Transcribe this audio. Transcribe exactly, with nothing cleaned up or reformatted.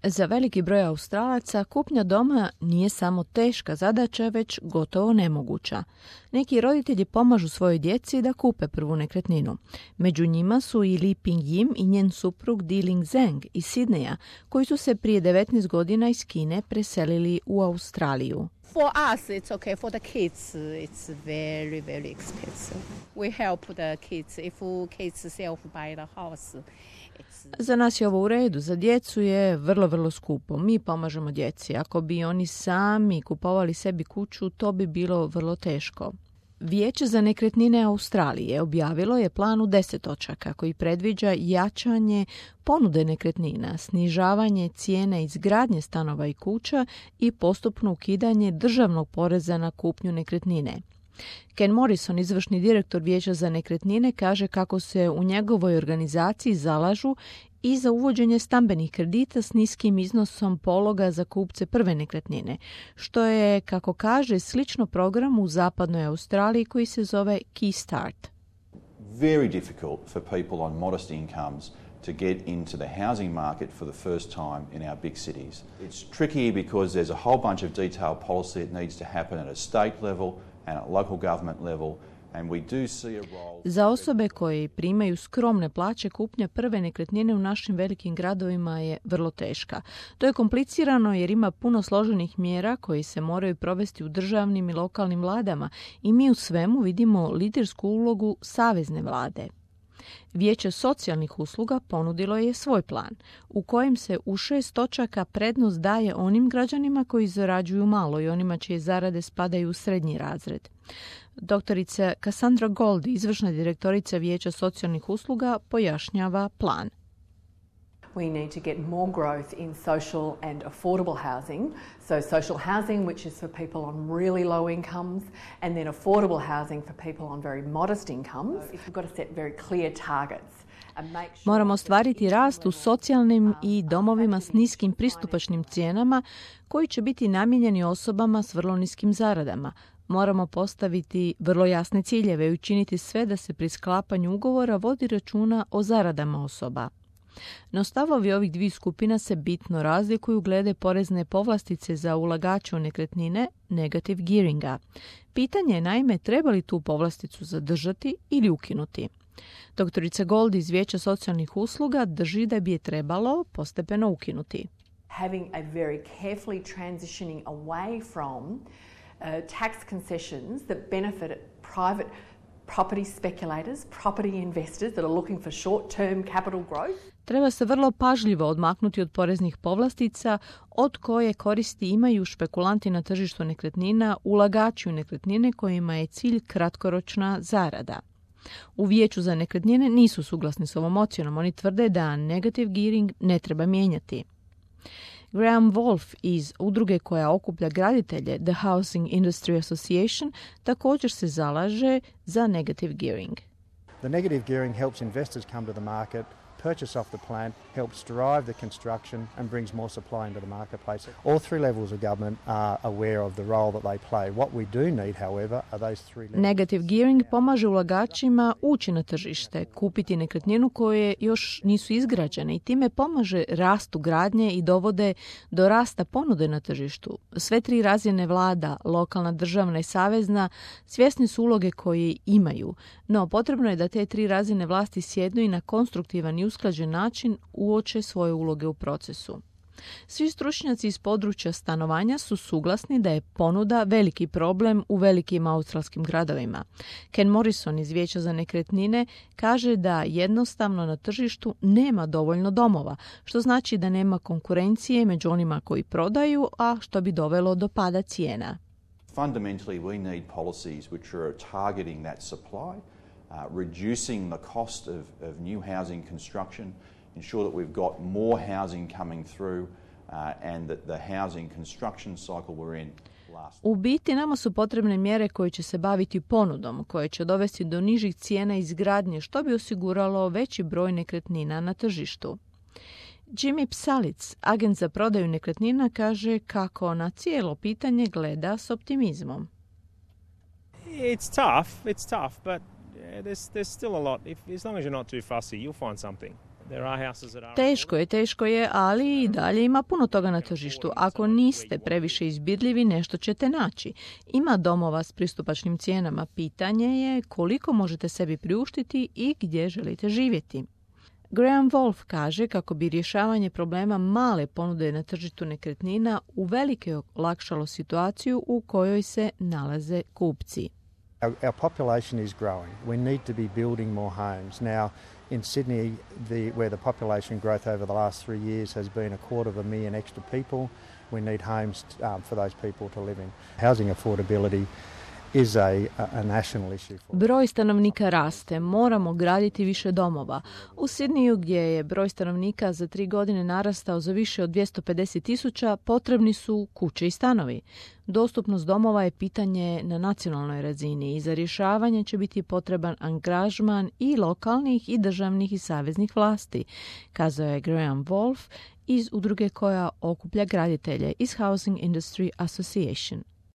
Za veliki broj Australaca kupnja doma nije samo teška zadaća, već gotovo nemoguća. Neki roditelji pomažu svojoj djeci da kupe prvu nekretninu. Među njima su i Li Ping Yim i njen suprug Di Ling Zeng iz Sidneja, koji su se prije devetnaest godina iz Kine preselili u Australiju. For us, it's okay. For the kids, it's very, very expensive. We help the kids. If kids self-buy the house, Za nas je ovo u redu, za djecu je vrlo, vrlo skupo. Mi pomažemo djeci. Ako bi oni sami kupovali sebi kuću, to bi bilo vrlo teško. Vijeće za nekretnine Australije objavilo je plan u deset točaka koji predviđa jačanje ponude nekretnina, snižavanje cijene izgradnje stanova i kuća i postupno ukidanje državnog poreza na kupnju nekretnine. Ken Morrison, izvršni direktor Vijeća za nekretnine, kaže kako se u njegovoj organizaciji zalažu i za uvođenje stambenih kredita s niskim iznosom pologa za kupce prve nekretnine, što je, kako kaže, slično programu u zapadnoj Australiji koji se zove Key Start. Very difficult for people on modest incomes to get into the housing market for the first time in our big cities. It's tricky because there's a whole bunch of detailed policy that needs to happen at a state level and at local government level. And we do see a role... Za osobe koje primaju skromne plaće, kupnja prve nekretnine u našim velikim gradovima je vrlo teška. To je komplicirano jer ima puno složenih mjera koji se moraju provesti u državnim i lokalnim vladama i mi u svemu vidimo lidersku ulogu savezne vlade. Vijeće socijalnih usluga ponudilo je svoj plan, u kojem se u šest točaka prednost daje onim građanima koji zarađuju malo i onima čije zarade spadaju u srednji razred. Doktorica Cassandra Goldie, izvršna direktorica Vijeća socijalnih usluga, pojašnjava plan. We need to get more growth in social and affordable housing. So social housing, which is for people on really low incomes, and then affordable housing for people on very modest incomes. We've got to set very clear targets. Moramo ostvariti rast u socijalnim i domovima s niskim pristupačnim cijenama koji će biti namijenjeni osobama s vrlo niskim zaradama. Moramo postaviti vrlo jasne ciljeve i učiniti sve da se pri sklapanju ugovora vodi računa o zaradama osoba. No stavovi ovih dviju skupina se bitno razlikuju glede porezne povlastice za ulagače u nekretnine, negative gearinga. Pitanje je naime treba li tu povlasticu zadržati ili ukinuti. Doktorica Gold iz Vijeća socijalnih usluga drži da bi je trebalo postepeno ukinuti. Having a very carefully transitioning away from uh, tax concessions that benefit private property speculators, property investors that are looking for short-term capital growth. Treba se vrlo pažljivo odmaknuti od poreznih povlastica od koje koristi imaju špekulanti na tržištu nekretnina, ulagači u nekretnine kojima je cilj kratkoročna zarada. U Vijeću za nekretnine nisu suglasni s ovom ocjenom. Oni tvrde da negative gearing ne treba mijenjati. Graham Wolf iz udruge koja okuplja graditelje The Housing Industry Association također se zalaže za negative gearing. The negative gearing helps investors come to the market, purchase off the plan, helps drive the construction and brings more supply into the marketplace. All three levels of government are aware of the role that they play. What we do need, however, are those three levels. Negative gearing pomaže ulagačima ući na tržište, kupiti nekretninu koje još nisu izgrađene i time pomaže rastu gradnje i dovode do rasta ponude na tržištu. Sve tri razine vlada, lokalna, državna i savezna, svjesni su uloge koje imaju, no potrebno je da te tri razine vlasti sjednu i na konstruktivan i usklađen način uoče svoje uloge u procesu. Svi stručnjaci iz područja stanovanja su suglasni da je ponuda veliki problem u velikim australskim gradovima. Ken Morrison iz Vijeća za nekretnine kaže da jednostavno na tržištu nema dovoljno domova, što znači da nema konkurencije među onima koji prodaju, a što bi dovelo do pada cijena. Fundamentally, we need policies which are targeting that supply, uh, reducing the cost of, of new housing construction, ensure that we've got more housing coming through uh, and that the housing construction cycle we're in lasts. U biti nama su potrebne mjere koje će se baviti ponudom, koje će dovesti do nižih cijena izgradnje, što bi osiguralo veći broj nekretnina na tržištu. Jimmy Psalic, agent za prodaju nekretnina, kaže kako na cijelo pitanje gleda s optimizmom. It's tough, it's tough, but yeah, there's there's still a lot. If as long as you're not too fussy, you'll find something. Teško je, teško je, ali i dalje ima puno toga na tržištu. Ako niste previše izbirljivi, nešto ćete naći. Ima domova s pristupačnim cijenama. Pitanje je koliko možete sebi priuštiti i gdje želite živjeti. Graham Wolf kaže kako bi rješavanje problema male ponude na tržištu nekretnina uvelike olakšalo situaciju u kojoj se nalaze kupci. Our, our population is growing. We need to be building more homes. Now, in Sydney, the, where the population growth over the last three years has been a quarter of a million extra people, we need homes um, for those people to live in. Housing affordability is a, a national issue. Broj stanovnika raste, moramo graditi više domova. U Sidniju, gdje je broj stanovnika za tri godine narastao za više od dvjesto pedeset tisuća, potrebni su kuće i stanovi. Dostupnost domova je pitanje na nacionalnoj razini i za rješavanje će biti potreban angažman i lokalnih i državnih i saveznih vlasti, kazao je Graham Wolf iz udruge koja okuplja graditelje iz Housing Industry Association.